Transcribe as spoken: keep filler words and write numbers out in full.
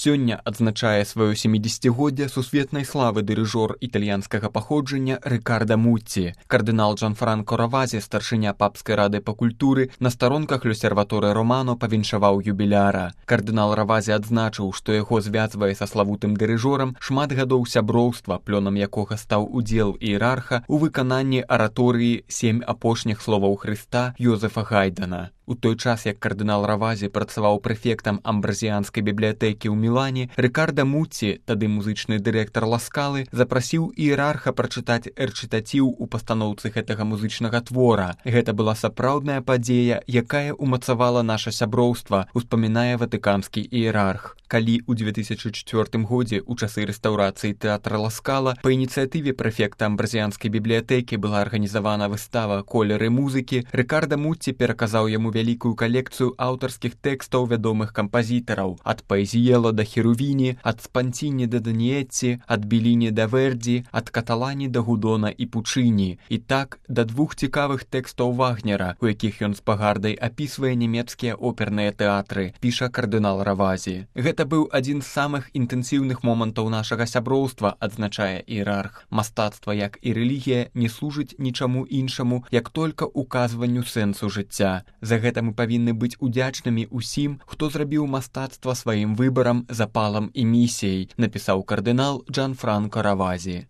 Сёння адзначае сваё сямідзесяцігоддзе сусветнай славы дырыжор італьянскага паходжання Рыкарда Муцці. Кардынал Джанфранко Равазі, старшыня папскай рады па культуры, на старонках L'Osservatore Romano павіншаваў юбіляра. Кардынал Равазі адзначыў, што яго звязвае са славутым дырыжорам шмат гадоў сяброўства, плёнам якога стаў удзел іерарха ў выкананні араторыі «Сем апошніх словаў Хрыста» Йозефа Гайдана. У той час, як кардынал Равазі працаваў прэфектам амбразіянскай бібліятэкі ў Мілане, Рыкарда Муцці, тады музычны дырэктар Ла Скалы, запрасіў іерарха прачытаць рэчытаціў у пастаноўцы гэтага музычнага твора. Гэта была сапраўдная падзея, якая ўмацавала наша сяброўства, успамінае ватыканскі іерарх. Калі ў дзве тысячы чвёртым годзе у часы рэстаўрацыі тэатра Ла Скала па ініцыятыве прэфекта амбразіянскай бібліятэкі была арганізавана выстава «Колеры музыкі», Рыкарда Муцці пераказаў яму вялікую калекцыю аўтарскіх тэкстаў вядомых кампазітараў, ад Паэзіела да Херувіні, ад Спанціні да Даніетці, ад Беліні да Вердзі, ад Каталані да Гудона і Пучыні, і так да двух цікавых тэкстаў Вагнера, у якіх ён з пагардай апісвае нямецкія оперныя тэатры, піша кардынал Равазі. Гэта быў адзін з самых інтэнсіўных момантаў нашага сяброўства, адзначае іерарх. Мастацтва, як і рэлігія, не служыць нічаму іншаму, як толькі указванню сэнсу жыцця. За гэта мы павінны быць удзячнымі ўсім, хто зрабіў мастацтва сваім выбарам, запалам і місіяй, напісаў кардынал Джанфранко Равазі.